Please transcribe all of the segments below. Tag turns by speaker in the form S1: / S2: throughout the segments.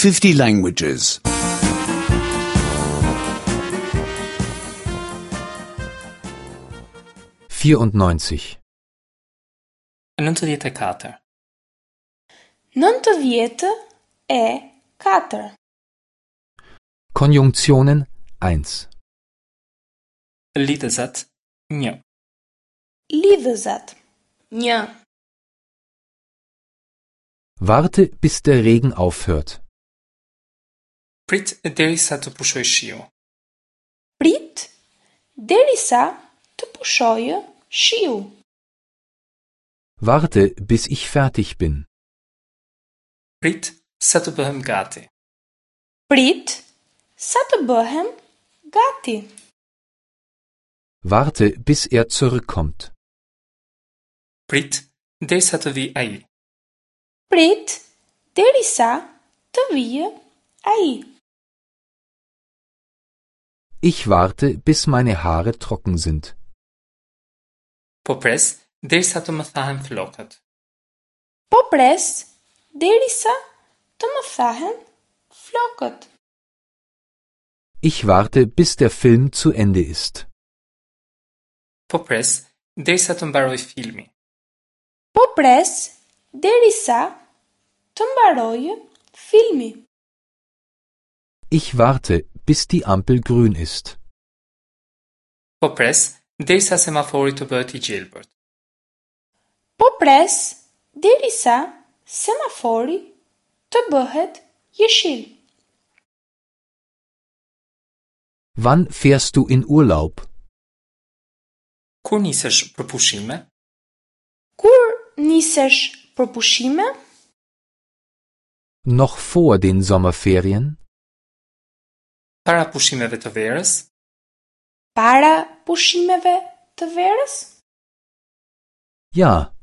S1: 50 languages.
S2: 94.
S3: 94.
S4: 94.
S2: Konjunktionen 1.
S3: Lidhëzat 1.
S4: Lidhëzat 1.
S2: Warte, bis der Regen aufhört.
S3: Prit derisa të pushojë shiu.
S4: Prit derisa të pushojë shiu.
S2: Warte, bis ich fertig bin.
S3: Prit sa të bëhem gati.
S4: Prit sa të bëhem gati.
S2: Warte, bis er zurückkommt.
S3: Prit derisa të vijë ai.
S4: Prit derisa të vijë ai.
S2: Ich warte, bis meine Haare trocken sind.
S3: Po pres derisa të më thahen flokët.
S4: Po pres derisa të më thahen flokët.
S2: Ich warte, bis der Film zu Ende ist.
S3: Po pres derisa të mbarojë filmi.
S4: Po pres derisa të mbarojë filmi.
S2: Ich warte, bis die Ampel grün ist.
S3: Po pres derisa semafori të bëhet i gjelbërt.
S4: Po pres derisa semafori të bëhet jeshil.
S2: Wann fährst du in Urlaub?
S3: Kur nisesh për pushime?
S4: Kur nisesh për pushime?
S2: Noch vor den Sommerferien?
S3: Para pushimeve të verës?
S4: Para pushimeve të verës?
S2: Ja,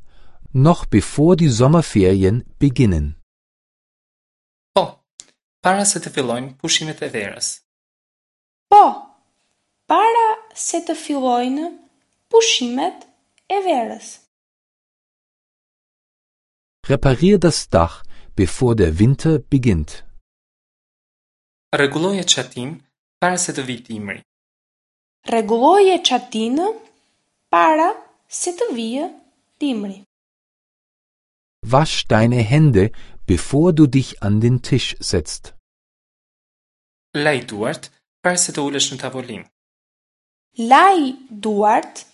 S2: noch bevor die Sommerferien beginnen.
S3: Po, para se të fillojnë pushimet e verës.
S4: Po, para se të fillojnë pushimet e verës.
S2: Reparier das Dach, bevor der Winter beginnt.
S3: Rregulloje çatinë para se të vijë dimri.
S4: Rregulloje çatinë para se të vijë dimri.
S2: Wasch deine Hände, bevor du dich an den Tisch setzt.
S3: Laj duart para se të ulesh në tavolinë.
S4: Laj duart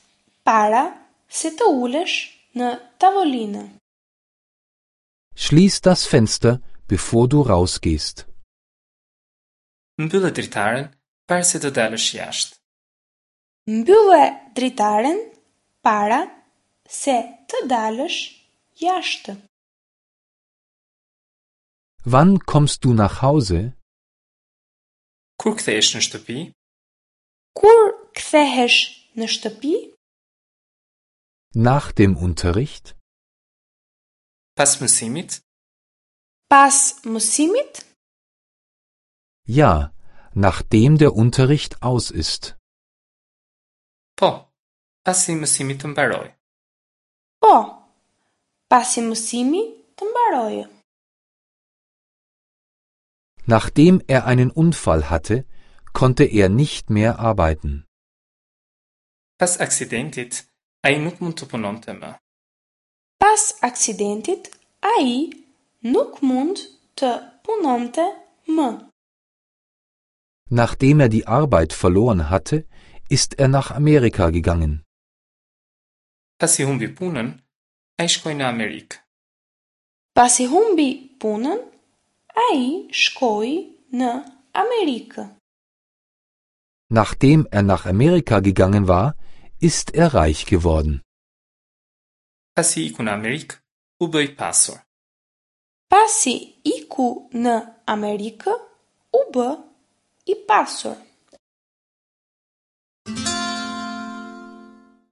S4: para se të ulesh në tavolinë.
S2: Schließ das Fenster, bevor du rausgehst.
S3: Mbyllë dritaren para se të dalësh jashtë.
S4: Mbylle dritaren para se të dalësh jashtë.
S2: Wann kommst du nach Hause?
S3: Kur kthehesh në shtëpi?
S4: Kur kthehesh në shtëpi?
S2: Nach dem Unterricht?
S3: Pas mësimit?
S4: Pas mësimit?
S2: Ja, nachdem der Unterricht aus ist.
S3: Po, pasi mësimi të mbarojë.
S4: Po, pasi mësimi të mbarojë.
S2: Nachdem er einen Unfall hatte, konnte er nicht mehr arbeiten.
S3: Pas aksidentit, ai nuk mund të punonte më.
S4: Pas aksidentit, ai nuk mund të punonte më.
S2: Nachdem er die Arbeit verloren hatte, ist er nach Amerika gegangen.
S3: Pasi humbi punën, ai shkoi në Amerikë.
S4: Pasi humbi punën, ai shkoi në Amerikë.
S2: Nachdem er nach Amerika gegangen war, ist er reich geworden.
S3: Pasi iku në Amerikë, u bë i pasur.
S4: Pasi iku në Amerikë, u bë i pasur.